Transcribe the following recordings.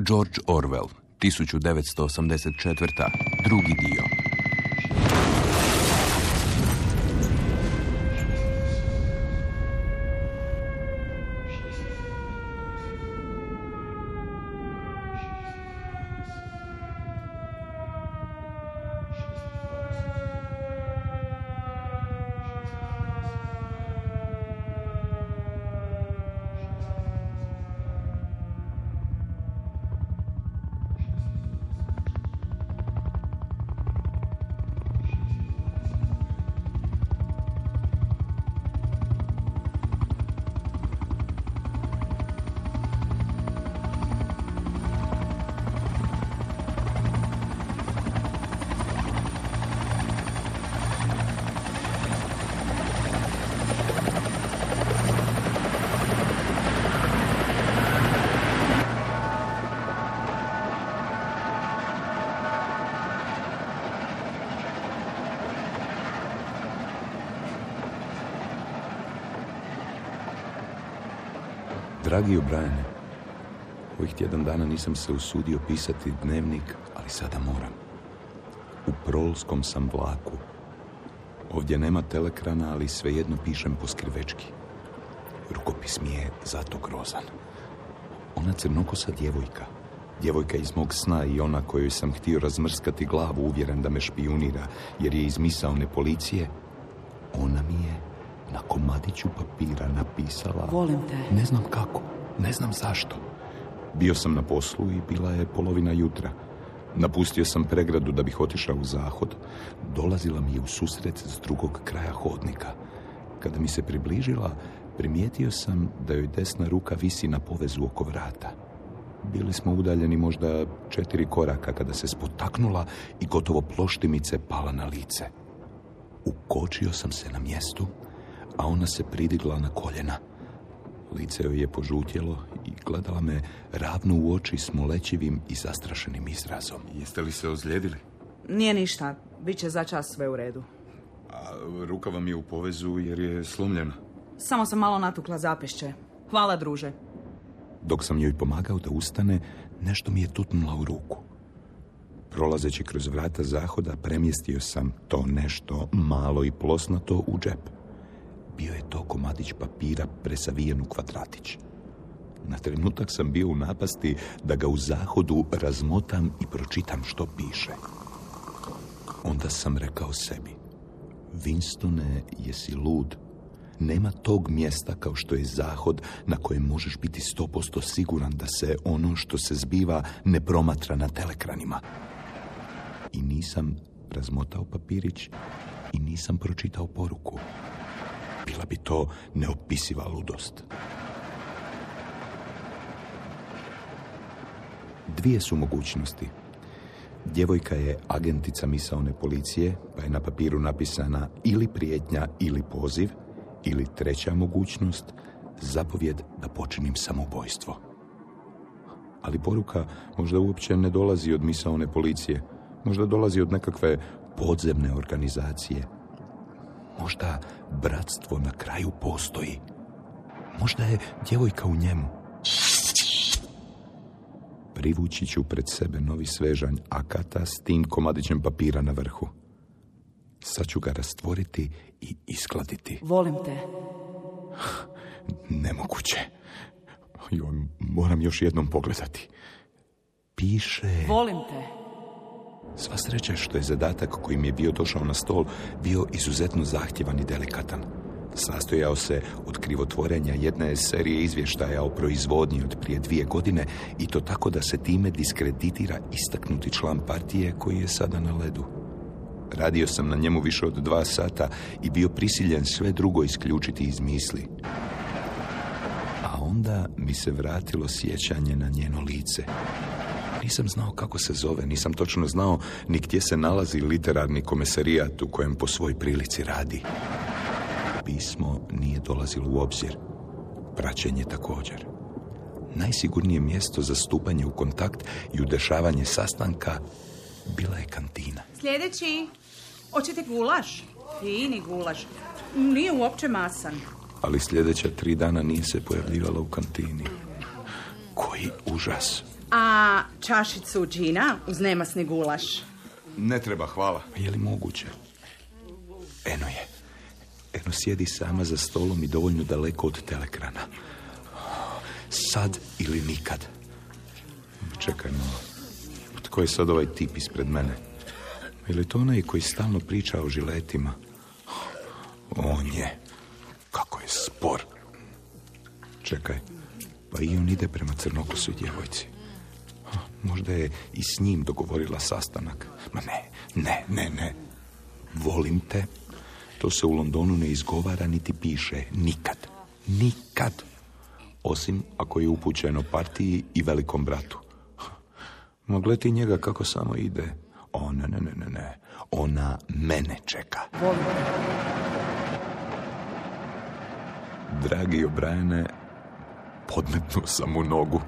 George Orwell, 1984. Drugi dio. Dragi O'Briene, ovih tjedan dana nisam se usudio pisati dnevnik, ali sada moram. U prolskom sam vlaku. Ovdje nema telekrana, ali svejedno pišem po skrivečki. Rukopis mi je zato grozan. Ona crnokosa djevojka. Djevojka iz mog sna i ona kojoj sam htio razmrskati glavu, uvjeren da me špijunira, jer je iz misaone policije. Ona mi je na komadiću papira napisala... Volim te. Ne znam kako, ne znam zašto. Bio sam na poslu i bila je polovina jutra. Napustio sam pregradu da bih otišao u zahod. Dolazila mi je u susret s drugog kraja hodnika. Kada mi se približila, primijetio sam da joj desna ruka visi na povezu oko vrata. Bili smo udaljeni možda 4 koraka kada se spotaknula i gotovo ploštimice pala na lice. Ukočio sam se na mjestu, a ona se pridigla na koljena. Lice joj je požutjelo i gledala me ravno u oči s molećivim i zastrašenim izrazom. Jeste li se ozlijedili? Nije ništa, bit će za čas sve u redu. A ruka vam je u povezu jer je slomljena? Samo sam malo natukla zapešće. Hvala, druže. Dok sam joj pomagao da ustane, nešto mi je tutnula u ruku. Prolazeći kroz vrata zahoda, premjestio sam to nešto malo i plosnato u džep. Bio je to komadić papira presavijen u kvadratić. Na trenutak sam bio u napasti da ga u zahodu razmotam i pročitam što piše. Onda sam rekao sebi: Winstone, jesi lud? Nema tog mjesta kao što je zahod na kojem možeš biti 100% siguran da se ono što se zbiva ne promatra na telekranima. I nisam razmotao papirić i nisam pročitao poruku. Bila bi to neopisiva ludost. Dvije su mogućnosti. Djevojka je agentica misaone policije, pa je na papiru napisana ili prijetnja ili poziv, ili treća mogućnost, zapovjed da počinim samoubojstvo. Ali poruka možda uopće ne dolazi od misaone policije, možda dolazi od nekakve podzemne organizacije. Možda bratstvo na kraju postoji. Možda je djevojka u njemu. Privući ću pred sebe novi svežanj akata s tim komadićem papira na vrhu. Sad ću ga rastvoriti i iskladiti. Volim te. Nemoguće. Moram još jednom pogledati. Piše... Volim te. Sva sreća što je zadatak koji mi je bio došao na stol bio izuzetno zahtjevan i delikatan. Sastojao se od krivotvorenja jedne serije izvještaja o proizvodnji od prije 2 godine i to tako da se time diskreditira istaknuti član partije koji je sada na ledu. Radio sam na njemu više od 2 sata i bio prisiljen sve drugo isključiti iz misli. A onda mi se vratilo sjećanje na njeno lice. Nisam znao kako se zove, nisam točno znao ni gdje se nalazi literarni komesarijat u kojem po svoj prilici radi. Pismo nije dolazilo u obzir. Praćenje također. Najsigurnije mjesto za stupanje u kontakt i udešavanje sastanka bila je kantina. Sljedeći. Hoćete gulaš? Fini gulaš. Nije uopće masan. Ali sljedeća 3 dana nije se pojavljivala u kantini. Koji užas. A čašicu džina uz nemasni gulaš? Ne treba, hvala. Je li moguće? Eno je. Eno sjedi sama za stolom i dovoljno daleko od telekrana. Sad ili nikad. Čekaj malo. Tko je sad ovaj tip ispred mene? Je li to onaj koji stalno priča o žiletima? On je. Kako je spor. Čekaj. Pa i on ide prema crnokosoj djevojci. Možda je i s njim dogovorila sastanak. Ma ne. Volim te. To se u Londonu ne izgovara niti piše. Nikad. Osim ako je upućeno partiji i velikom bratu. Ma gledi njega kako samo ide. O, ne. Ona mene čeka. Volim. Dragi O'Briene, podmetnuo sam u nogu.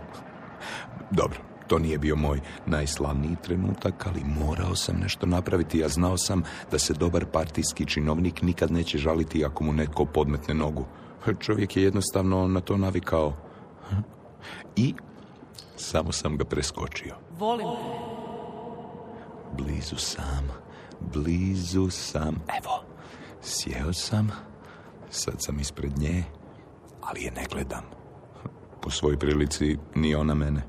Dobro, to nije bio moj najslavniji trenutak, ali morao sam nešto napraviti. Ja znao sam da se dobar partijski činovnik nikad neće žaliti ako mu netko podmetne nogu. Čovjek je jednostavno na to navikao. I samo sam ga preskočio. Volim te. Blizu sam. Evo, sjeo sam. Sad sam ispred nje, ali je ne gledam. Po svojoj prilici ni ona mene.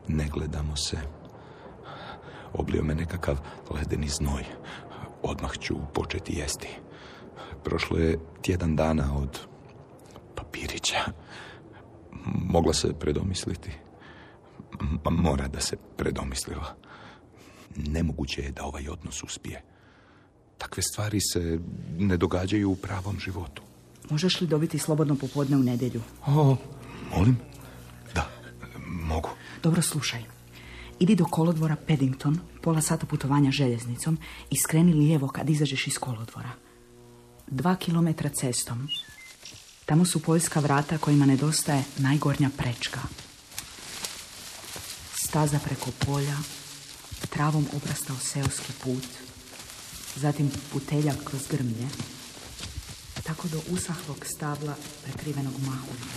Ne gledamo se. Oblio me nekakav ledeni znoj. Odmah ću početi jesti. Prošlo je tjedan dana od papirića. Mogla se predomisliti. Mora da se predomislila. Nemoguće je da ovaj odnos uspije. Takve stvari se ne događaju u pravom životu. Možeš li dobiti slobodno popodne u nedjelju? Molim? Da, mogu. Dobro, slušaj. Idi do kolodvora Paddington, pola sata putovanja željeznicom i skreni lijevo kad izađeš iz kolodvora. 2 kilometra cestom. Tamo su poljska vrata kojima nedostaje najgornja prečka. Staza preko polja, travom obrastao seoski put, zatim puteljak kroz grmlje, tako do usahlog stabla prekrivenog mahuljom.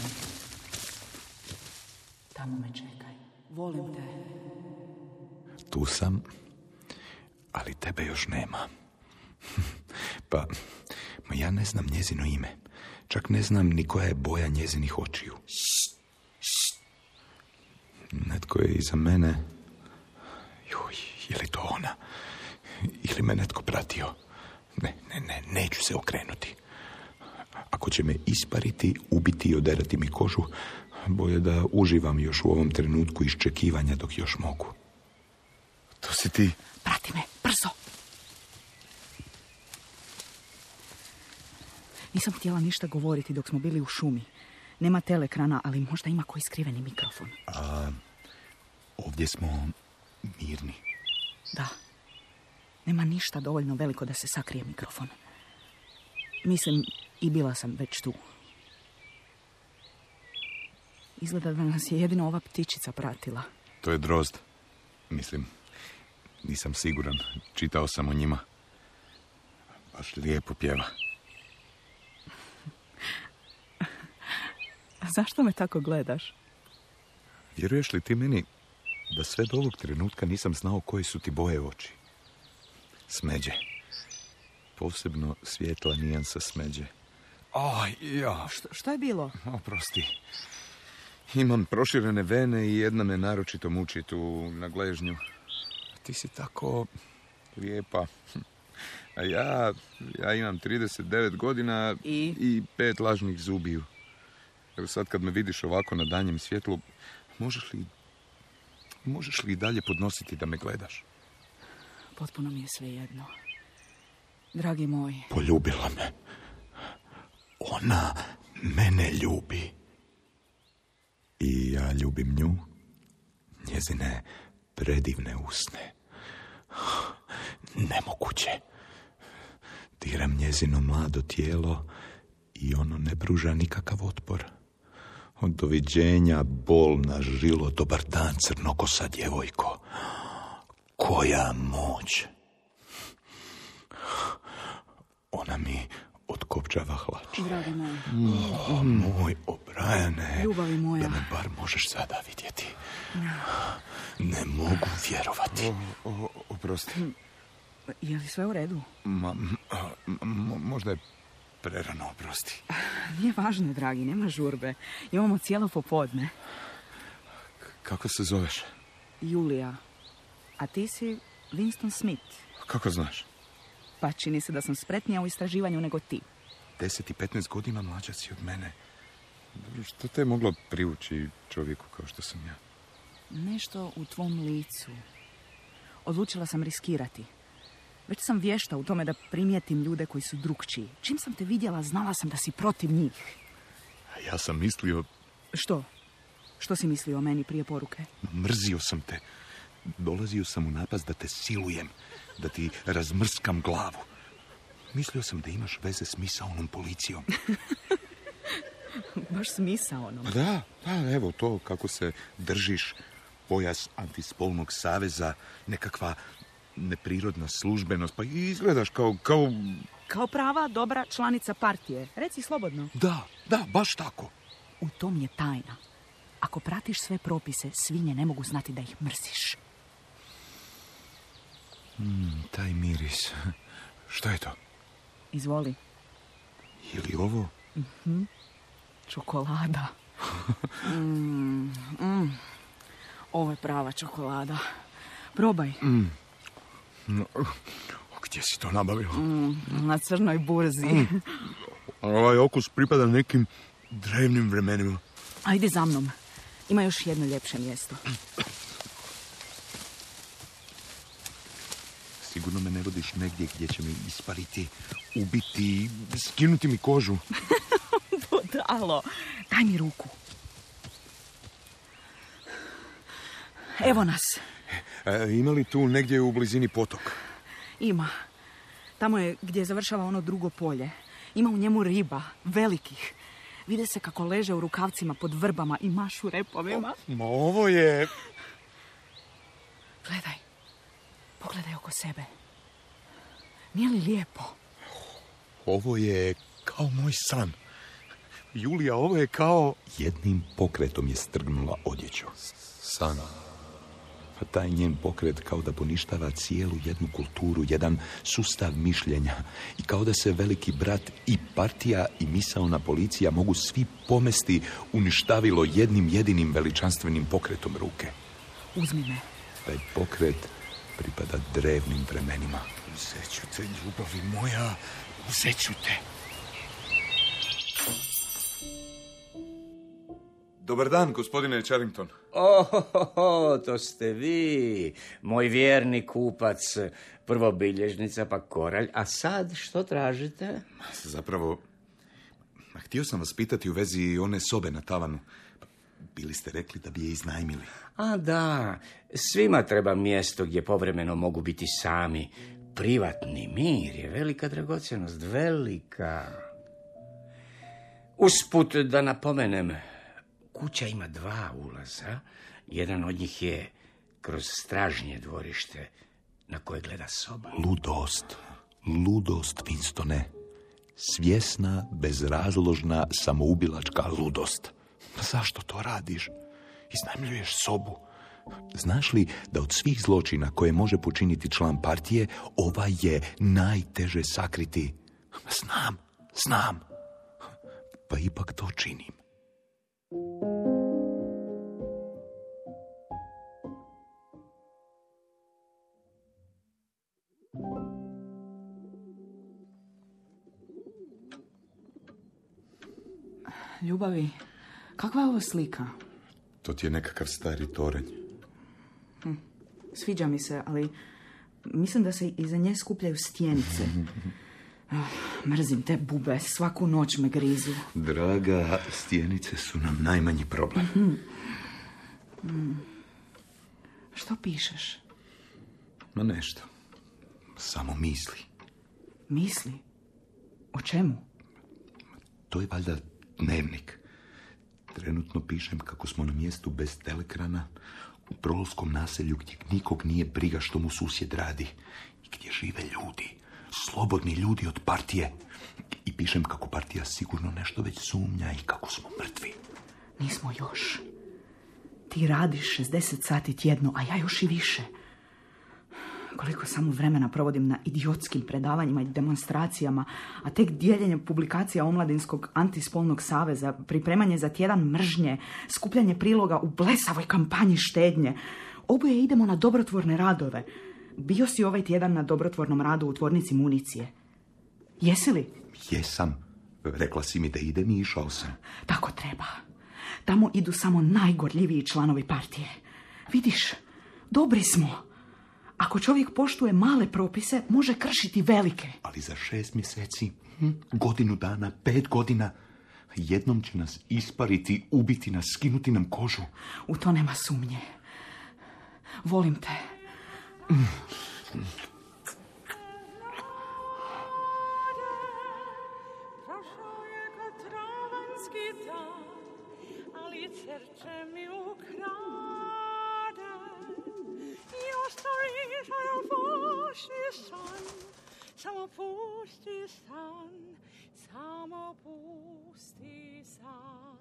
Tamo me čekaj. Volim te. Tu sam, ali tebe još nema. Pa ja ne znam njezino ime. Čak ne znam ni koja je boja njezinih očiju. Netko je iza mene. Joj, je li to ona? Ili me netko pratio? Ne, neću se okrenuti. Ako će me ispariti, ubiti i oderati mi kožu, bolje da uživam još u ovom trenutku iščekivanja dok još mogu. To si ti. Prati me, brzo. Nisam htjela ništa govoriti dok smo bili u šumi. Nema telekrana, ali možda ima koji skriveni mikrofon. Ovdje smo mirni. Da. Nema ništa dovoljno veliko da se sakrije mikrofon. Mislim, i bila sam već tu. Izgleda da nas je jedino ova ptičica pratila. To je drozd. Mislim, nisam siguran. Čitao sam o njima. Baš lijepo pjeva. Zašto me tako gledaš? Vjeruješ li ti meni da sve do ovog trenutka nisam znao koje su ti boje oči? Smeđe. Posebno svijetla nijansa smeđe. Što je bilo? Oprosti. Imam proširene vene i jedna me naročito muči tu na gležnju. Ti si tako lijepa. A ja imam 39 godina i 5 lažnih zubiju. Evo sad kad me vidiš ovako na danjem svjetlu, možeš li i dalje podnositi da me gledaš? Potpuno mi je svejedno. Dragi moj. Poljubila me. Ona mene ljubi. I ja ljubim nju. Njezine predivne usne. Nemoguće. Diram njezino mlado tijelo i ono ne pruža nikakav otpor. Od doviđenja, bolna žilo, dobar dan, crnokosa djevojko. Koja moć. Ona mi od iskopčava hlač. Dragi moj. Moj O'Briane. Ljubavi moja. Da me bar možeš sada vidjeti. Ne mogu vjerovati. Oprosti. Je li sve u redu? Možda je prerano, oprosti. Nije važno, dragi, nema žurbe. Imamo cijelo popodne. Kako se zoveš? Julija. A ti si Winston Smith. Kako znaš? Pa čini se da sam spretnija u istraživanju nego ti. 10 i 15 godina mlađa si od mene. Što te je moglo privući čovjeku kao što sam ja? Nešto u tvom licu. Odlučila sam riskirati. Već sam vješta u tome da primijetim ljude koji su drukčiji. Čim sam te vidjela, znala sam da si protiv njih. A ja sam mislio... Što? Što si mislio o meni prije poruke? Mrzio sam te. Dolazio sam u napast da te silujem, da ti razmrskam glavu. Mislio sam da imaš veze s misaonom policijom. Baš s misaonom. Da, evo to kako se držiš, pojas antispolnog saveza, nekakva neprirodna službenost, pa izgledaš kao... Kao prava, dobra članica partije. Reci slobodno. Da, baš tako. U tom je tajna. Ako pratiš sve propise, svinje ne mogu znati da ih mrziš. Taj miris. Što je to? Izvoli. Je li ovo? Čokolada. Ovo je prava čokolada. Probaj. Gdje si to nabavila? Na crnoj burzi. Ovaj okus pripada nekim drevnim vremenima. Ajde za mnom. Ima još jedno ljepše mjesto. Sigurno me ne vodiš negdje gdje će me ispaliti, ubiti, skinuti mi kožu. Budalo. Daj mi ruku. Evo nas. Ima li tu negdje u blizini potok? Ima. Tamo je gdje završava ono drugo polje. Ima u njemu riba, velikih. Vide se kako leže u rukavcima pod vrbama i mašu repovima. Ovo je... Gledaj. Pogledaj oko sebe. Nije li lijepo? Ovo je kao moj san. Julija, ovo je kao... Jednim pokretom je strgnula odjeću. San. Pa taj njen pokret kao da poništava cijelu jednu kulturu, jedan sustav mišljenja. I kao da se veliki brat i partija i misaona policija mogu svi pomesti uništavilo jednim jedinim veličanstvenim pokretom ruke. Uzmi me. Taj pokret pripada drevnim vremenima. Uzet ću te, ljubavi moja, uzet ću te. Dobar dan, gospodine Charrington. To ste vi, moj vjerni kupac, prvo bilježnica pa koralj, a sad što tražite? Zapravo, htio sam vas pitati u vezi one sobe na tavanu. Bili ste rekli da bi je iznajmili. A da, svima treba mjesto gdje povremeno mogu biti sami. Privatni mir je velika dragocjenost, velika. Usput da napomenem, kuća ima 2 ulaza. Jedan od njih je kroz stražnje dvorište na koje gleda soba. Ludost, Winstone. Svjesna, bezrazložna, samoubilačka ludost. Zašto to radiš? Iznajmljuješ sobu. Znaš li da od svih zločina koje može počiniti član partije, ovaj je najteže sakriti? Znam. Pa ipak to činim. Ljubavi, kakva je ovo slika? To ti je nekakav stari toranj. Sviđa mi se, ali mislim da se iza nje skupljaju stjenice. Mrzim te bube, svaku noć me grizu. Draga, stjenice su nam najmanji problem. Što pišeš? Ma nešto. Samo misli. Misli? O čemu? To je valjda dnevnik. Trenutno pišem kako smo na mjestu bez telekrana, u prolovskom naselju gdje nikog nije briga što mu susjed radi i gdje žive ljudi. slobodni ljudi od partije. I pišem kako partija sigurno nešto već sumnja i kako smo mrtvi. Nismo još. Ti radiš 60 sati tjedno, a ja još i više. Koliko samo vremena provodim na idiotskim predavanjima i demonstracijama, a tek dijeljenje publikacija Omladinskog antispolnog saveza, pripremanje za tjedan mržnje, skupljanje priloga u blesavoj kampanji štednje. Oboje idemo na dobrotvorne radove. Bio si ovaj tjedan na dobrotvornom radu u tvornici municije. Jesi li? Jesam. Rekla si mi da idem i išao sam. Tako treba. Tamo idu samo najgorljiviji članovi partije. Vidiš, dobri smo. Ako čovjek poštuje male propise, može kršiti velike. Ali za 6 mjeseci, godinu dana, 5 godina, jednom će nas ispariti, ubiti nas, skinuti nam kožu. U to nema sumnje. Volim te. Prošao je kad travanski dan, ali srce mi ukrade. I ostaviš ovaj pusti san, samo pusti san, samo pusti san.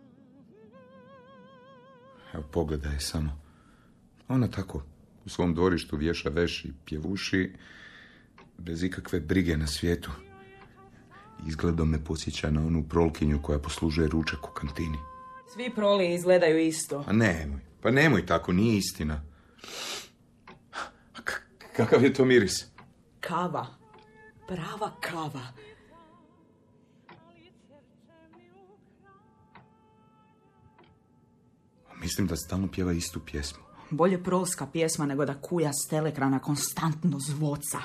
Evo, pogledaj samo. Ona tako u svom dvorištu vješa veš i pjevuši bez ikakve brige na svijetu. Izgledom me podsjeća na onu prolkinju koja poslužuje ručak u kantini. Svi proli izgledaju isto. Pa nemoj tako, nije istina. Kakav je to miris? Kava. Prava kava. Mislim da stalno pjeva istu pjesmu. Bolje prolska pjesma nego da kuja s telekrana konstantno zvoca.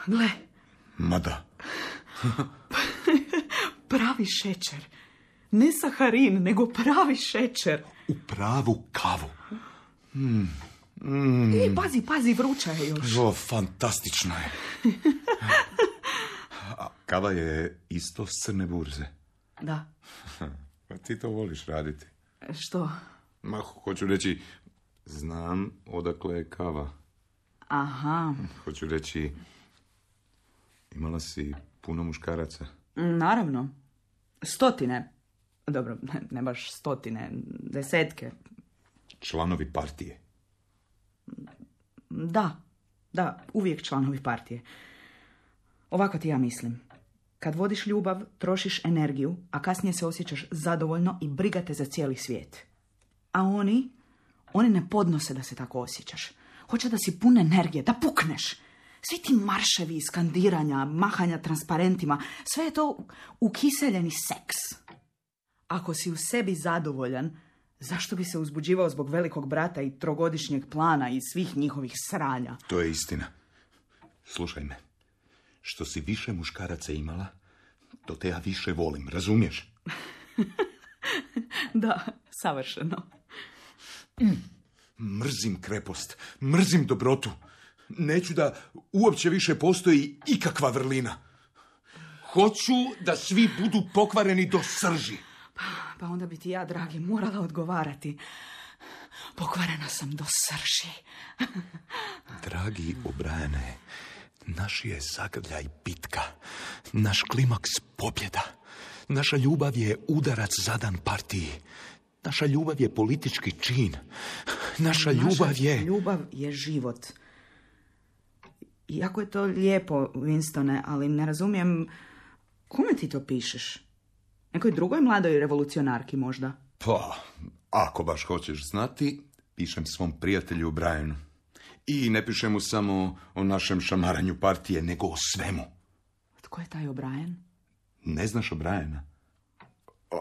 Gle. Mada. Pravi šećer. Ne saharin, nego pravi šećer. U pravu kavu. Pazi, vruća je još. O, fantastično je. A kava je isto s crne burze. Da. Pa ti to voliš raditi. Što? Ma, hoću reći, znam odakle je kava. Aha. Hoću reći, imala si puno muškaraca. Naravno. 100. Dobro, ne baš 100, 10. Članovi partije. Da, uvijek članovi partije. Ovako ti ja mislim. Kad vodiš ljubav, trošiš energiju, a kasnije se osjećaš zadovoljno i briga te za cijeli svijet. A oni ne podnose da se tako osjećaš. Hoće da si pun energije, da pukneš. Svi ti marševi, skandiranja, mahanja transparentima, sve je to ukiseljeni seks. Ako si u sebi zadovoljan, zašto bi se uzbuđivao zbog velikog brata i trogodišnjeg plana i svih njihovih sranja? To je istina. Slušaj me. Što si više muškaraca imala, to te ja više volim, razumiješ? Da, savršeno. Mrzim krepost, mrzim dobrotu. Neću da uopće više postoji ikakva vrlina. Hoću da svi budu pokvareni do srži. Pa onda bi ti ja, dragi, morala odgovarati. Pokvarena sam do srži. Dragi O'Briane, naš je zagrljaj bitka, naš klimaks pobjeda. Naša ljubav je udarac zadan partiji. Naša ljubav je politički čin. Naša ljubav je život. Jako je to lijepo, Winstone, ali ne razumijem kome ti to pišeš? Nekoj drugoj mladoj revolucionarki možda? Pa, ako baš hoćeš znati, pišem svom prijatelju Brianu. I ne pišem mu samo o našem šamaranju partije, nego o svemu. Tko je taj O'Brien? Ne znaš O'Briena?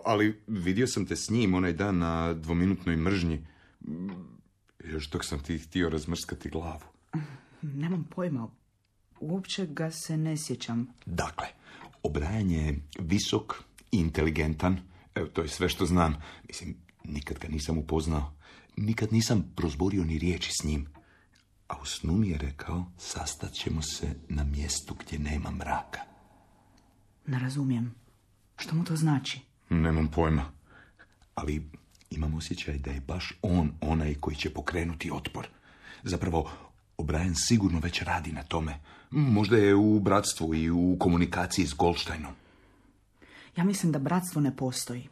Ali vidio sam te s njim onaj dan na 2-minutnoj mržnji. Još dok sam ti htio razmrskati glavu. Nemam pojma. Uopće ga se ne sjećam. Dakle, O'Brien je visok i inteligentan. Evo, to je sve što znam. Mislim, nikad ga nisam upoznao. Nikad nisam prozborio ni riječi s njim. A u snu mi je rekao, sastat ćemo se na mjestu gdje nema mraka. Ne razumijem. Što mu to znači? Nemam pojma. Ali imam osjećaj da je baš on onaj koji će pokrenuti otpor. Zapravo, O'Brien sigurno već radi na tome. Možda je u bratstvu i u komunikaciji s Goldsteinom. Ja mislim da bratstvo ne postoji.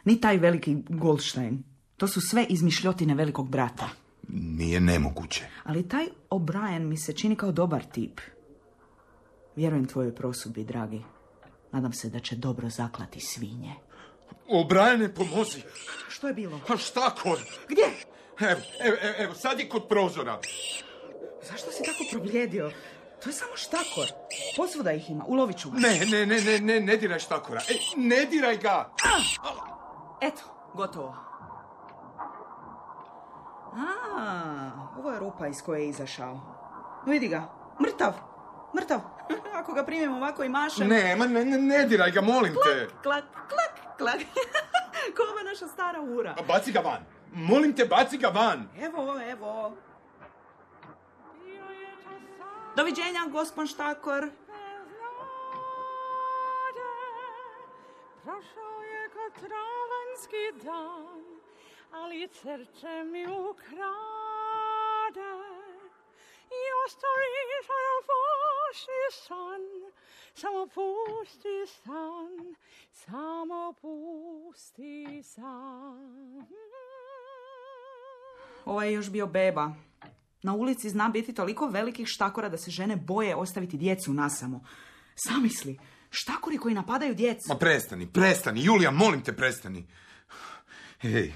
Ni taj veliki Goldstein. To su sve izmišljotine velikog brata. Nije nemoguće. Ali taj O'Brien mi se čini kao dobar tip. Vjerujem tvojoj prosudbi, dragi. Nadam se da će dobro zaklati svinje. O'Briene, pomozi. Što je bilo? A štakor. Gdje? Evo, sad je kod prozora. Zašto si tako probljedio? To je samo štakor. Posvuda ih ima, ulovit ću ga. Ne diraj štakora. Ne diraj ga. Eto, gotovo. Ovo je rupa iz koje je izašao. Vidi ga, mrtav. Ako ga primim ovako i mašem... Ne diraj ga, molim te. Klak. Ko ova naša stara ura. Baci ga van. Molim te, baci ga van. Evo. Doviđenja, gospon štakor. Prošao je kao travanski dan, ali srce mi ukrade. Your stories are a pusti san, samo pusti san. Ovo je još bio beba. Na ulici zna biti toliko velikih štakora da se žene boje ostaviti djecu nasamo. Zamisli, štakori koji napadaju djecu. Ma prestani, Julija, molim te, prestani. Hej,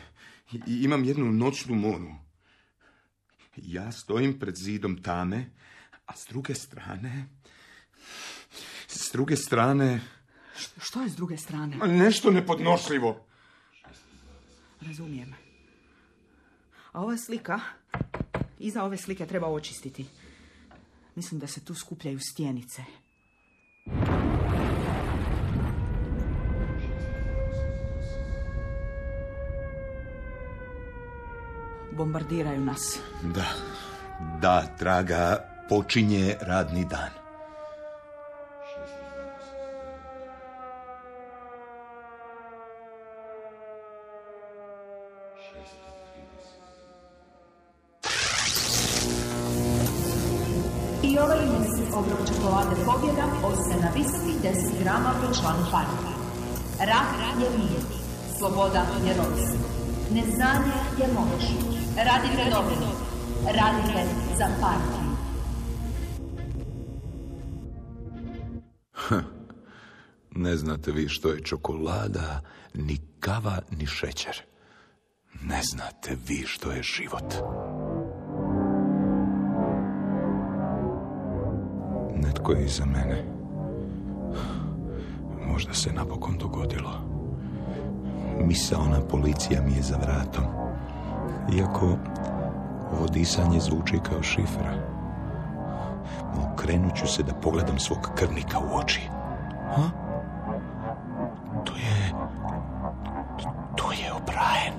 imam jednu noćnu moru. Ja stojim pred zidom tame, a s druge strane... Što je s druge strane? Nešto nepodnošljivo. Razumijem. A ova slika, iza ove slike treba očistiti. Mislim da se tu skupljaju stjenice. Bombardiraju nas. Da, draga, počinje radni dan. I ovaj emisij obrok čokolade pobjeda ostaje na visokih 10 grama po članu partije. Rat je mir, sloboda je rovstvo, neznanje je moć. Radite dobro, radite za partiju. Ne znate vi što je čokolada, ni kava, ni šećer. Ne znate vi što je život. Netko je iza mene. Možda se napokon dogodilo. Misaona policija mi je za vratom. Iako ovo disanje zvuči kao šifra. Okrenut ću se da pogledam svog krvnika u oči. To je O'Brien.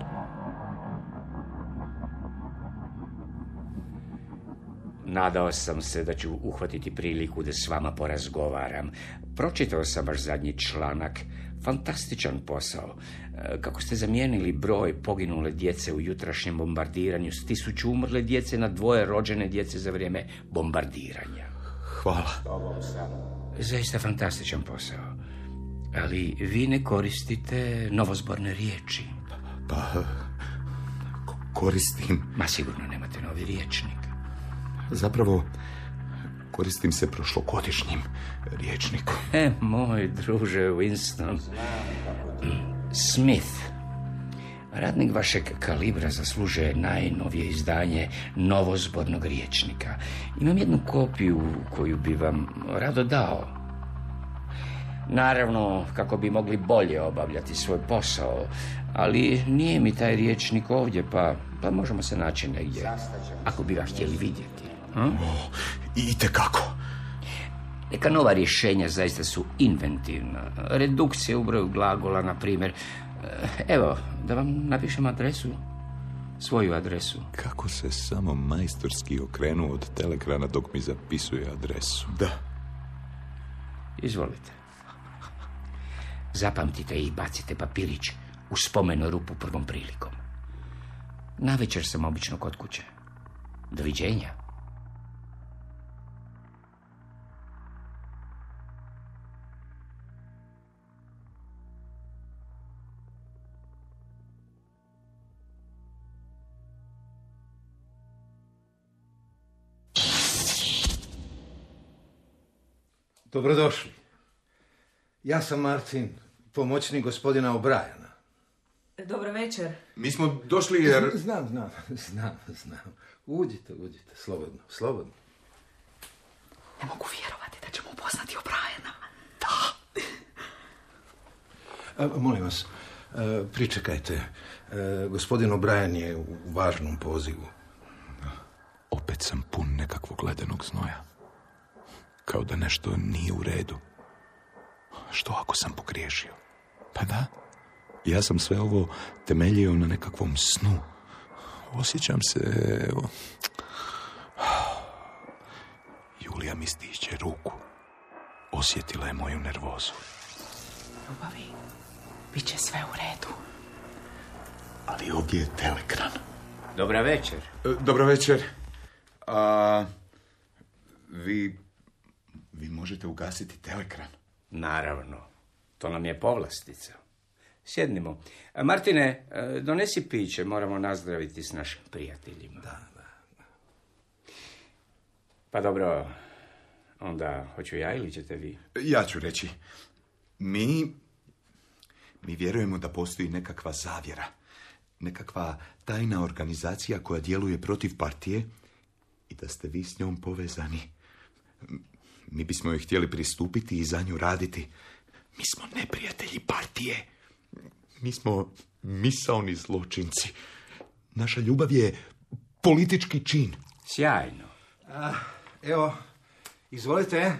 Nadao sam se da ću uhvatiti priliku da s vama porazgovaram. Pročitao sam vaš zadnji članak. Fantastičan posao. Kako ste zamijenili broj poginule djece u jutrašnjem bombardiranju s 1000 umrle djece na 2 rođene djece za vrijeme bombardiranja. Hvala. Zaista fantastičan posao. Ali vi ne koristite novozborne riječi. Pa, koristim. Ma sigurno nemate novi riječnik. Zapravo, koristim se prošlogodišnjim riječnikom. Moj druže Winston. Smith. Radnik vašeg kalibra zaslužuje najnovije izdanje novozbornog riječnika. Imam jednu kopiju koju bi vam rado dao. Naravno, kako bi mogli bolje obavljati svoj posao, ali nije mi taj riječnik ovdje, pa možemo se naći negdje, ako bi ga htjeli vidjeti. Itekako. Neka nova rješenja zaista su inventivna. Redukcija u broju glagola, na primjer. Evo, da vam napišem adresu. Svoju adresu. Kako se samo majstorski okrenuo od telekrana dok mi zapisuje adresu. Da. Izvolite. Zapamtite i bacite papirić u spomenu rupu prvom prilikom. Navečer sam obično kod kuće. Doviđenja. Dobrodošli. Ja sam Martin, pomoćnik gospodina O'Briana. Dobro večer. Mi smo došli jer... Znam. Uđite, slobodno. Ne mogu vjerovati da ćemo upoznati O'Briana. Da. Molim vas, pričekajte. Gospodin O'Brian je u važnom pozivu. Opet sam pun nekakvog ledenog znoja. Kao da nešto nije u redu. Što ako sam pogriješio? Pa da, ja sam sve ovo temeljio na nekakvom snu. Osjećam se... Julija mi stišće ruku. Osjetila je moju nervozu. Ljubavi, bit će sve u redu. Ali ovdje je teleekran. Dobra večer. Dobro večer. Vi možete ugasiti teleekran? Naravno. To nam je povlastica. Sjednimo. Martine, donesi piće. Moramo nazdraviti s našim prijateljima. Da. Pa dobro, onda hoću ja ili ćete vi? Ja ću reći. Mi vjerujemo da postoji nekakva zavjera. Nekakva tajna organizacija koja djeluje protiv partije i da ste vi s njom povezani. Mi bismo joj htjeli pristupiti i za nju raditi. Mi smo neprijatelji partije. Mi smo misaoni zločinci. Naša ljubav je politički čin. Sjajno. Evo, izvolite.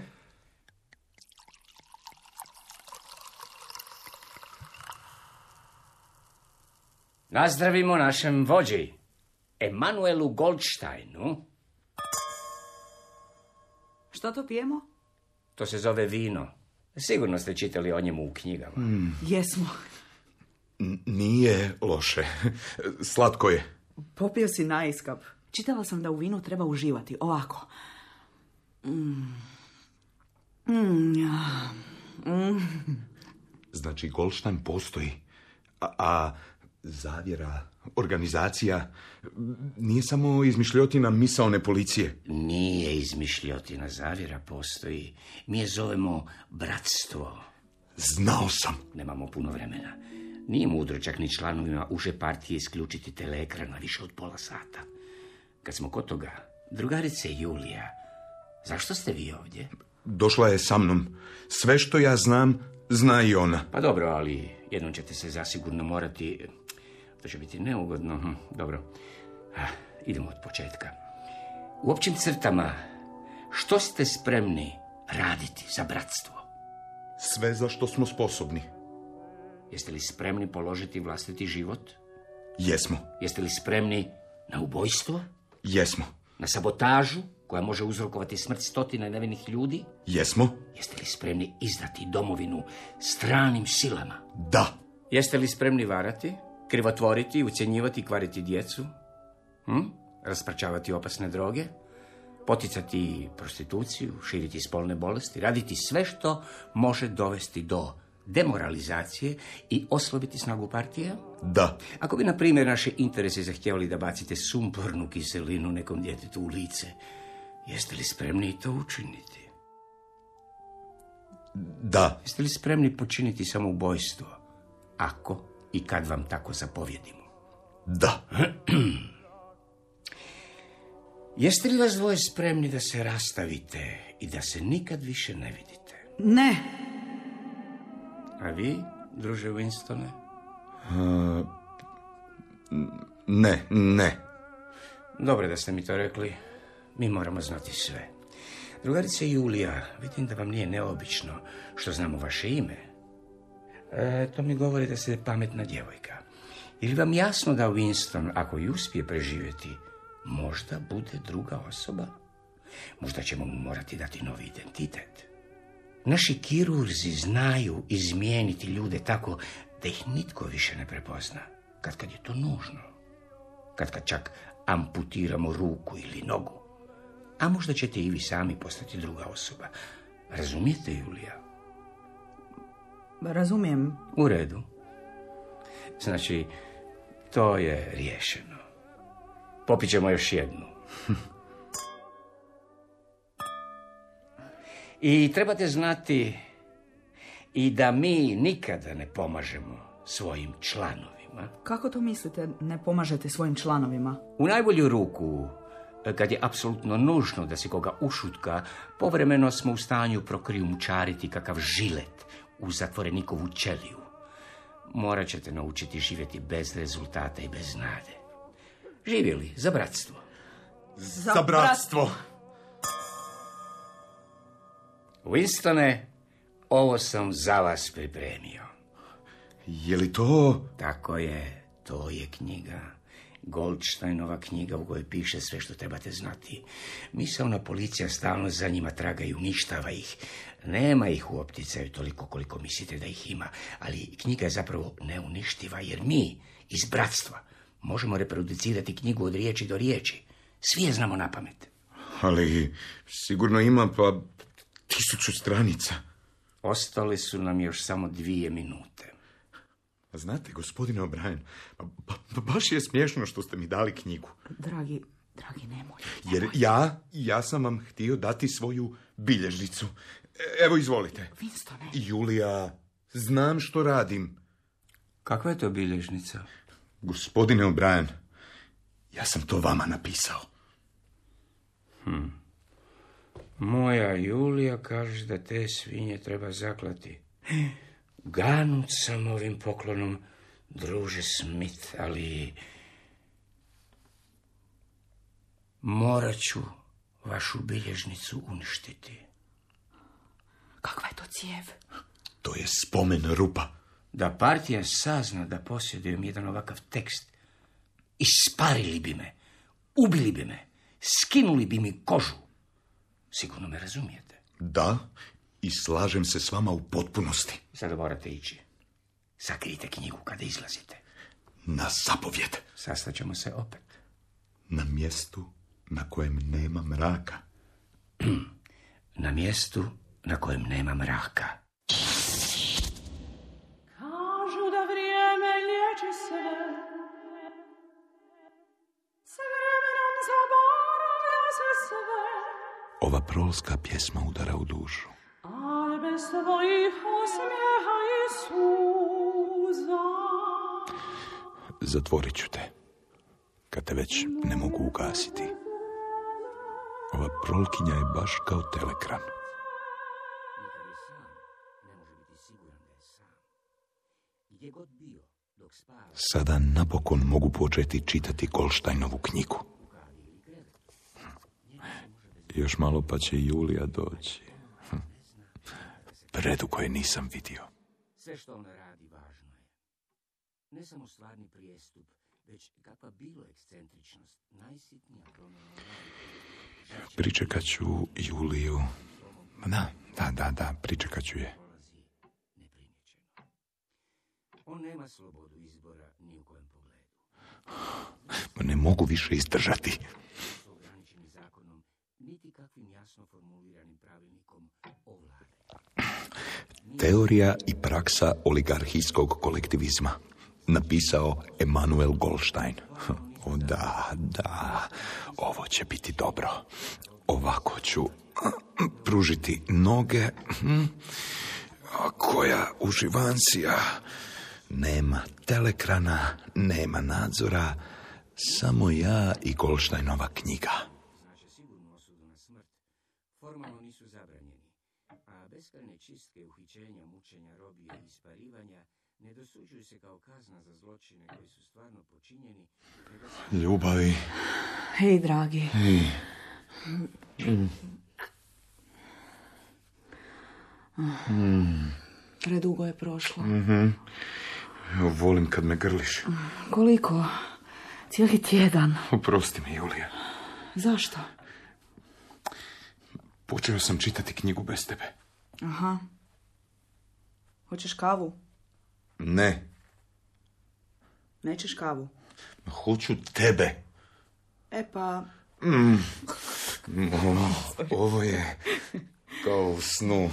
Nazdravimo našem vođi, Emanuelu Goldsteinu. Što to pijemo? To se zove vino. Sigurno ste čitali o njemu u knjigama. Jesmo. Nije loše. Slatko je. Popio si naiskap. Čitala sam da u vinu treba uživati. Ovako. Znači, Goldstein postoji. A zavjera, organizacija, nije samo izmišljotina misaone policije. Nije izmišljotina, zavjera postoji. Mi je zovemo bratstvo. Znao sam. Nemamo puno vremena. Nije mudro čak ni članovima uže partije isključiti teleekran na više od pola sata. Kad smo kod toga, drugarice Julija, zašto ste vi ovdje? Došla je sa mnom. Sve što ja znam, zna i ona. Pa dobro, ali jednom ćete se zasigurno morati... To će biti neugodno. Dobro. Idemo od početka. U općim crtama, što ste spremni raditi za bratstvo? Sve za što smo sposobni. Jeste li spremni položiti vlastiti život? Jesmo. Jeste li spremni na ubojstvo? Jesmo. Na sabotažu koja može uzrokovati smrt stotina nevinih ljudi? Jesmo. Jeste li spremni izdati domovinu stranim silama? Da. Jeste li spremni varati, krivotvoriti, ucjenjivati i kvariti djecu? Raspračavati opasne droge? Poticati prostituciju, širiti spolne bolesti, raditi sve što može dovesti do demoralizacije i oslabiti snagu partije? Da. Ako bi, na primjer, naše interese zahtjevali da bacite sumpornu kiselinu nekom djetetu u lice, jeste li spremni to učiniti? Da. Jeste li spremni počiniti samoubojstvo, ako i kad vam tako zapovjedimo? Da. Jeste li vas dvoje spremni da se rastavite i da se nikad više ne vidite? Ne. A vi, druže Winstone? Ne. Dobro da ste mi to rekli. Mi moramo znati sve. Drugarice Julija, vidim da vam nije neobično što znamo vaše ime. To mi govori da ste pametna djevojka. Je li vam jasno da Winston, ako i uspije preživjeti, možda bude druga osoba? Možda ćemo mu morati dati novi identitet. Naši kirurzi znaju izmijeniti ljude tako da ih nitko više ne prepozna. Kad je to nužno. Kad čak amputiramo ruku ili nogu. A možda ćete i vi sami postati druga osoba. Razumijete, Julija? Razumijem. U redu. Znači, to je riješeno. Popit ćemo još jednu. I trebate znati i da mi nikada ne pomažemo svojim članovima. Kako to mislite, ne pomažete svojim članovima? U najbolju ruku, kad je apsolutno nužno da se koga ušutka, povremeno smo u stanju prokrijumčariti kakav žilet u zatvorenikovu ćeliju. Morat ćete naučiti živjeti bez rezultata i bez nade. Živjeli za bratstvo. Za bratstvo! Winstone, ovo sam za vas pripremio. Je li to... Tako je, to je knjiga. Goldsteinova knjiga u kojoj piše sve što trebate znati. Misaona policija stalno za njima traga i uništava ih. Nema ih u opticaju toliko koliko mislite da ih ima, ali knjiga je zapravo neuništiva, jer mi iz bratstva možemo reproducirati knjigu od riječi do riječi. Svi je znamo na pamet. Ali sigurno ima pa 1000 stranica. Ostale su nam još samo 2 minute. Znate, gospodine O'Brien, baš je smiješno što ste mi dali knjigu. Dragi, nemoj. Jer ja sam vam htio dati svoju bilježnicu. Evo, izvolite. Winstone. Julija, znam što radim. Kakva je to bilježnica? Gospodine O'Brien, ja sam to vama napisao. Moja Julija kaže da te svinje treba zaklati. Ganut sam ovim poklonom, druže Smith, ali morat ću vašu bilježnicu uništiti. Kakva je to cijev? To je spomen rupa. Da partija sazna da posjedujem jedan ovakav tekst, isparili bi me, ubili bi me, skinuli bi mi kožu. Sigurno me razumijete. Da, i slažem se s vama u potpunosti. Sada morate ići. Sakrijte knjigu kada izlazite. Na zapovjed. Sastaćemo se opet. Na mjestu na kojem nema mraka. Na mjestu na kojem nema mraka. Kažu da vrijeme liječi sve, s vremenom zaboravlja se sve. Ova prolska pjesma udara u dušu. Ali bez tvojih osmijeha i suza. Zatvorit ću te, kad te već ne mogu ugasiti. Ova prolkinja je baš kao telekran. Nekad je sam, ne može biti siguran da je sam. Gdje god bio, dok spava... Sada napokon mogu početi čitati Goldsteinovu knjigu. Još malo pa će Julija doći. Predugo je nisam vidio. Sve što ona radi važno je. Ne samo stvarni prijestup, već kakva bilo ekscentričnost, najsitnija promjena radi. Pričekat ću Juliju. Da, pričekat ću je. On nema slobodu izbora ni u kojem pogledu. Ne mogu više izdržati. Su ograničeni zakonom, niti kakvim jasno formuliranim pravilnikom o vlade. Teorija i praksa oligarhijskog kolektivizma. Napisao Emanuel Goldstein. O da, ovo će biti dobro. Ovako ću pružiti noge. A koja uživancija. Nema telekrana, nema nadzora, samo ja i Goldsteinova knjiga. Znači sigurnu osudu na smrt. Formalno nisu zabranjeni. A beskrajne čistke, uhićenja, mučenja, robije i isparivanja ne dosuđuju se kao kazna za zločine koji su stvarno počinjeni. Ljubavi. Hej, dragi. Predugo je prošlo. Evo, volim kad me grliš. Koliko? Cijeli tjedan. Oprosti mi, Julija. Zašto? Počeo sam čitati knjigu bez tebe. Aha. Hoćeš kavu? Ne. Nećeš kavu? Hoću tebe. E pa... Ovo je kao u snu.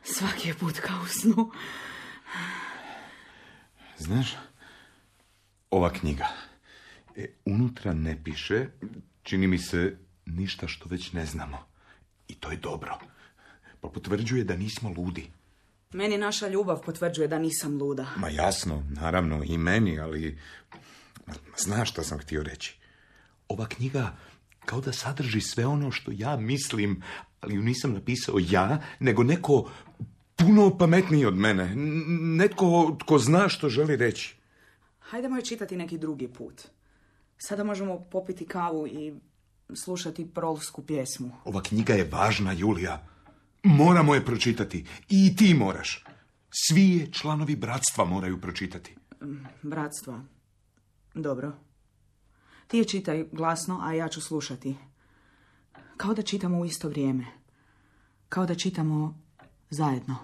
Svaki je put kao u snu. Znaš, ova knjiga, unutra ne piše, čini mi se, ništa što već ne znamo. I to je dobro. Pa potvrđuje da nismo ludi. Meni naša ljubav potvrđuje da nisam luda. Ma jasno, naravno, i meni, ali znaš što sam htio reći. Ova knjiga kao da sadrži sve ono što ja mislim, ali ju nisam napisao ja, nego neko puno pametniji od mene. Netko tko zna što želi reći. Hajdemo je čitati neki drugi put. Sada možemo popiti kavu i slušati prolsku pjesmu. Ova knjiga je važna, Julija. Moramo je pročitati. I ti moraš. Svi je članovi bratstva moraju pročitati. Bratstva. Dobro. Ti je čitaj glasno, a ja ću slušati. Kao da čitamo u isto vrijeme. Kao da čitamo zajedno.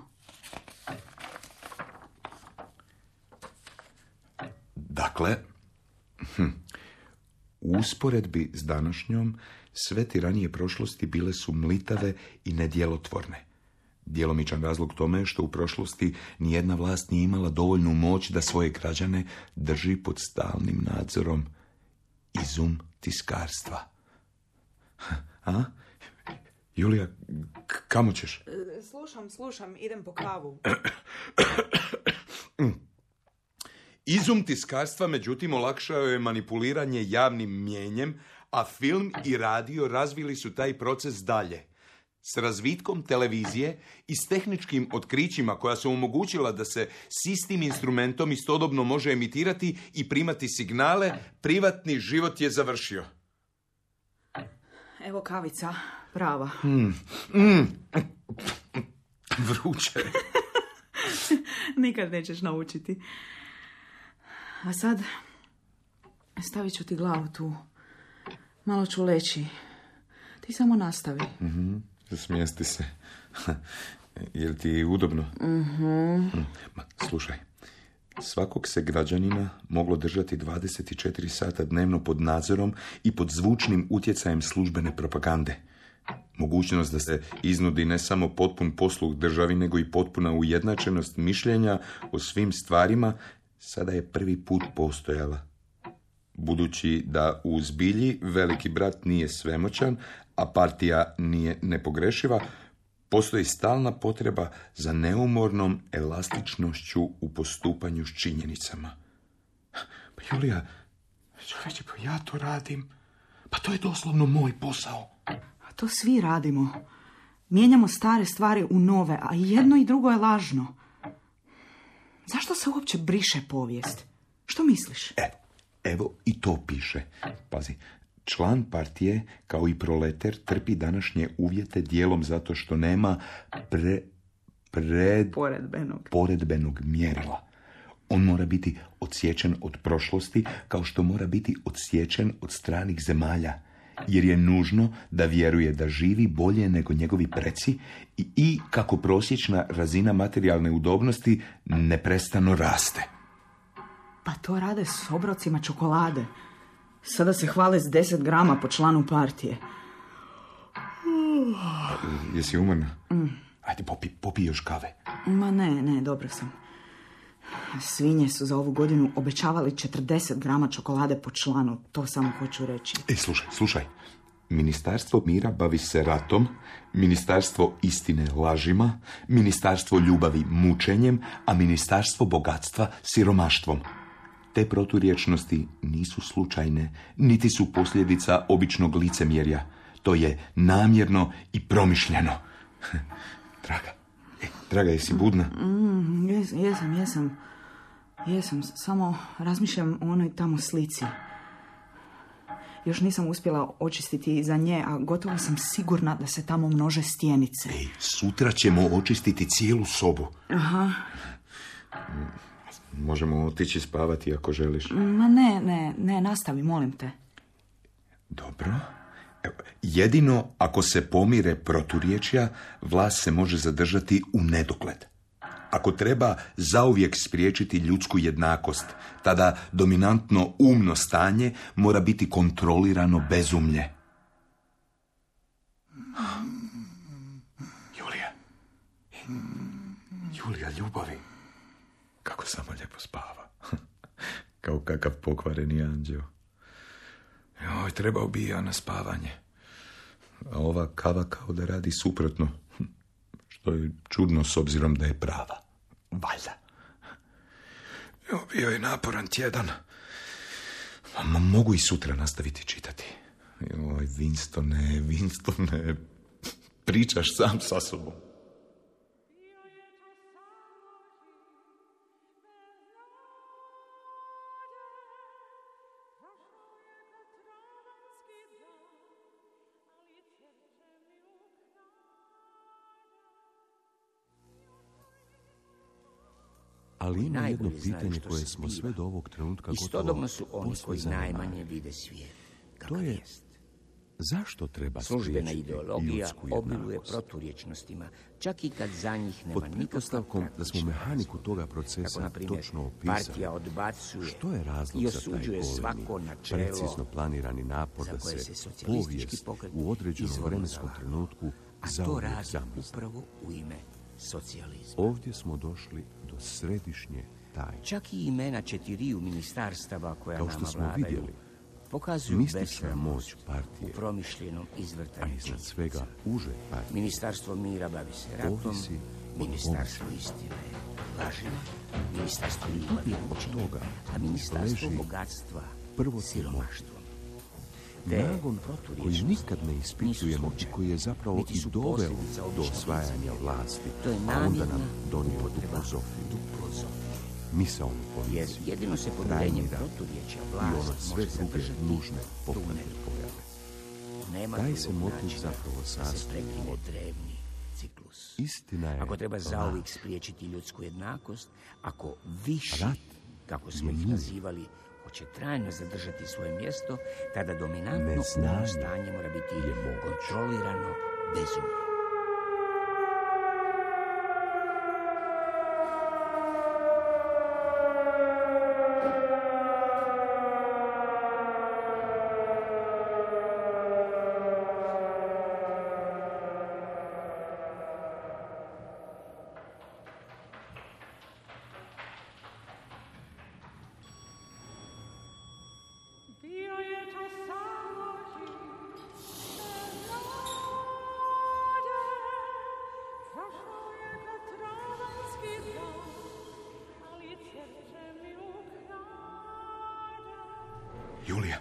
Dakle, u usporedbi s današnjom, sve tiranije prošlosti bile su mlitave i nedjelotvorne. Djelomičan razlog tome je što u prošlosti nijedna vlast nije imala dovoljnu moć da svoje građane drži pod stalnim nadzorom. Izum tiskarstva. A? Julija, kamo ćeš? Slušam, idem po kavu. Izum tiskarstva, međutim, olakšao je manipuliranje javnim mnijenjem, a film i radio razvili su taj proces dalje. S razvitkom televizije i s tehničkim otkrićima koja su omogućila da se s istim instrumentom istodobno može emitirati i primati signale, privatni život je završio. Evo kavica, prava. Vruće. Nikad nećeš naučiti. A sad stavit ću ti glavu tu. Malo ću leći. Ti samo nastavi. Smijesti se. Je li ti udobno? Ma, slušaj. Svakog se građanina moglo držati 24 sata dnevno pod nadzorom i pod zvučnim utjecajem službene propagande. Mogućnost da se iznudi ne samo potpun posluh državi, nego i potpuna ujednačenost mišljenja o svim stvarima sada je prvi put postojala. Budući da u zbilji veliki brat nije svemoćan, a partija nije nepogrešiva, postoji stalna potreba za neumornom elastičnošću u postupanju s činjenicama. Pa Julija, čovječe, pa ja to radim. Pa to je doslovno moj posao. A to svi radimo. Mijenjamo stare stvari u nove, a jedno i drugo je lažno. Zašto se uopće briše povijest? Što misliš? Evo i to piše. Pazi, član partije, kao i proleter, trpi današnje uvjete dijelom zato što nema poredbenog mjerila. On mora biti odsječen od prošlosti, kao što mora biti odsječen od stranih zemalja, jer je nužno da vjeruje da živi bolje nego njegovi preci i kako prosječna razina materijalne udobnosti neprestano raste. Pa to rade s obrocima čokolade. Sada se hvale s 10 grama po članu partije. Jesi umorna? Ajde, popij još kave. Ma ne, dobro sam. Svinje su za ovu godinu obećavali 40 grama čokolade po članu. To samo hoću reći. Slušaj. Ministarstvo mira bavi se ratom, ministarstvo istine lažima, ministarstvo ljubavi mučenjem, a ministarstvo bogatstva siromaštvom. Te proturječnosti nisu slučajne, niti su posljedica običnog licemjerja. To je namjerno i promišljeno. Draga, jesi budna? Jesam, samo razmišljam o onoj tamo slici. Još nisam uspjela očistiti iza nje, a gotovo sam sigurna da se tamo množe stjenice. Sutra ćemo očistiti cijelu sobu. Aha. Možemo otići spavati ako želiš. Ma ne, nastavi, molim te. Dobro. Jedino ako se pomire proturječja, vlast se može zadržati u nedogled. Ako treba zauvijek spriječiti ljudsku jednakost, tada dominantno umno stanje mora biti kontrolirano bezumlje. Julija, ljubavi. Kako samo lijepo spava. Kao kakav pokvareni anđeo. Joj, trebao bi ja na spavanje. A ova kava kao da radi suprotno. Što je čudno s obzirom da je prava. Valjda. Evo, bio je naporan tjedan. Mogu i sutra nastaviti čitati. Joj, Winstone, pričaš sam sa sobom. Ali ima jedno pitanje koje smo sve do ovog trenutka istodobno su oni koji najmanje vide svijet. To je, zašto treba službena ideologija obiluje proturječnostima, čak i kad za njih nema nikakva pretpostavkom da smo mehaniku toga procesa na primjer, točno opisali. partija odbacuje što je razlog i za taj osuđuje svako golemi, načelo precizno planirani napor da se povijest u određenom vremenskom trenutku zauvijek zamrzne. Upravo u ime socijalizma. Ovdje smo došli do središnje tajne. Čak i imena 4 ministarstava koja kao nama što smo vladaju vidjeli, pokazuju mistična moć partije, u promišljenom izvrtanju. a iznad svega uže partije, Ministarstvo mira bavi se ratom, ministarstvo istine lažima, ministarstvo ljubavi učenja, a ministarstvo bogatstva siromaštvom. nagon koji nikad ne ispitujemo i koji je zapravo i doveo do osvajanja vlasti, a onda nam donio duplozofiju. Misaonu Jer policiju, jedino se podjeljenjem proturječja i ono vlast sve može druge zadržati nužne popravne pojave. Nema Taj drugog se motiv načina zapravo da se sastoji prekine od drevni ciklus. Istina je Ako treba laž. zauvijek spriječiti ljudsku jednakost, ako viši, Rat kako smo je ih mir. nazivali, hoće trajno zadržati svoje mjesto, tada dominantno Neznanje stanje mora biti je moć. kontrolirano bezumlje. Bio je to samo živ, prošao je ga travanski dan, ali srce mi ukrade. Julija,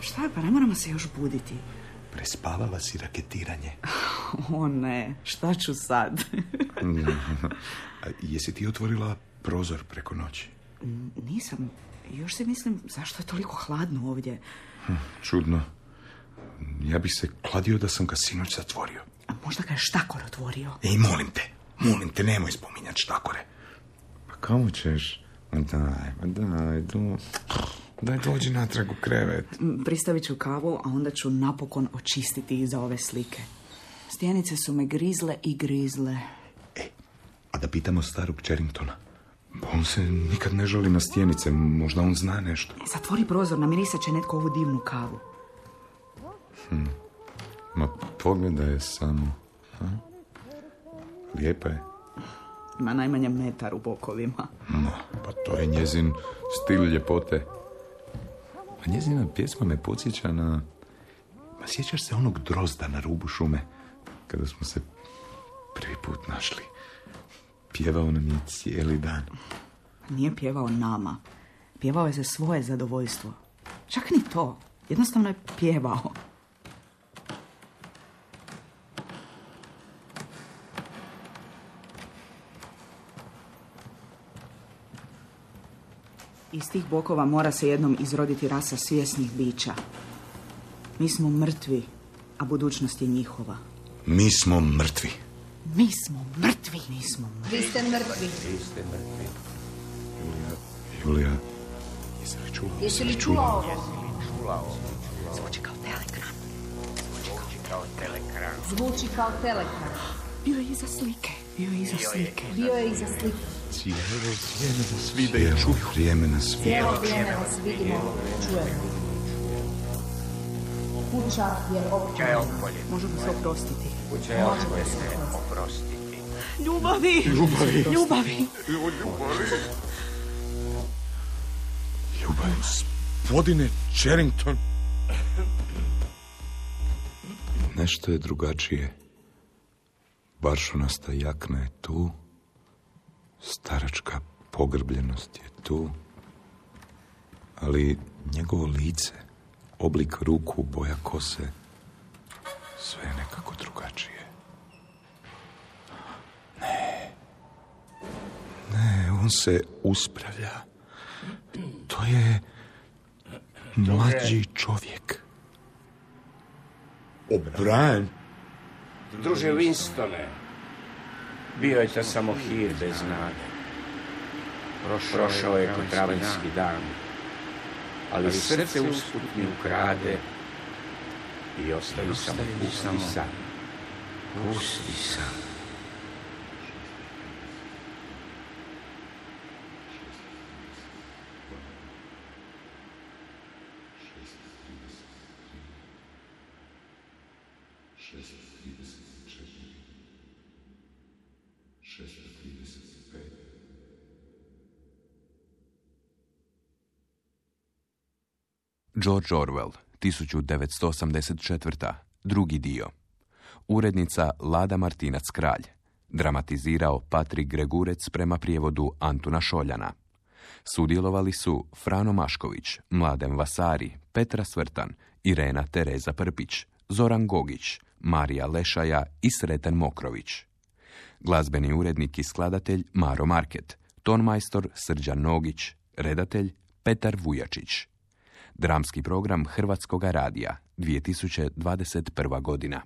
Šta je? Pa ne moramo se još buditi. prespavala si raketiranje. O ne, šta ću sad? A jesi ti otvorila prozor preko noći? Nisam. Još se mislim, zašto je toliko hladno ovdje? Čudno. Ja bih se kladio da sam ga sinoć zatvorio. A možda ga je štakor otvorio. Ej, molim te, nemoj spominjati štakore. Pa kamo ćeš? Daj, dođi natrag u krevet. Pristavit ću kavu, a onda ću napokon očistiti iza ove slike. Stjenice su me grizle i grizle. A da pitamo starog Charringtona. On se nikad ne žali na stjenice, možda on zna nešto. Zatvori prozor, namirisat će netko ovu divnu kavu. Ma pogledaj je samo. A? Lijepa je. Ima najmanje metar u bokovima. Pa to je njezin stil ljepote. A njezina pjesma me podsjeća na... Ma sjećaš se onog drozda na rubu šume? Kada smo se prvi put našli. Pjevao nam je cijeli dan. Nije pjevao nama. Pjevao je za svoje zadovoljstvo. Čak ni to. Jednostavno je pjevao. Iz tih bokova mora se jednom izroditi rasa svjesnih bića. Mi smo mrtvi, a budućnost je njihova. Mi smo mrtvi. Mi smo mrtvi. Mi smo mrtvi. Vi ste mrtvi. Julija, jesi li čula? Jesi li čula ovo? Zvuči kao telegram. Zvuči kao telekran. Bio je iza slike. Bio je iza slike. Cijelo vrijeme nas vide i čuju. Vrijeme nas vide. Cijelo vrijeme vas vidimo, čujemo. Kuća je opkoljena. Možemo se oprostiti. Kuća je oprostiti. Ljubavi. Gospodine Charrington. Nešto je drugačije. Baršunasta jakna je tu. Staračka pogrbljenost je tu. Ali njegovo lice, oblik ruku, boja kose, sve je nekako drugačije. Ne, on se uspravlja. To je mlađi čovjek. O'Brien? Druže Winstone, bio je to samo hir bez nade. Prošao je ko travanjski dan, ali srce usput mi ukrade i ostavi samo pusti san. Pusti san. George Orwell, 1984. Drugi dio. Urednica Lada Martinac-Kralj. Dramatizirao Patrik Gregurec prema prijevodu Antuna Šoljana. Sudjelovali su Frano Mašković, Mladen Vasari, Petra Svrtan, Irena Tereza Prpić, Zoran Gogić, Marija Lešaja i Sreten Mokrović. Glazbeni urednik i skladatelj Maro Market, tonmajstor Srđan Nogić, redatelj Petar Vujačić. Dramski program Hrvatskoga radija, 2021. godina.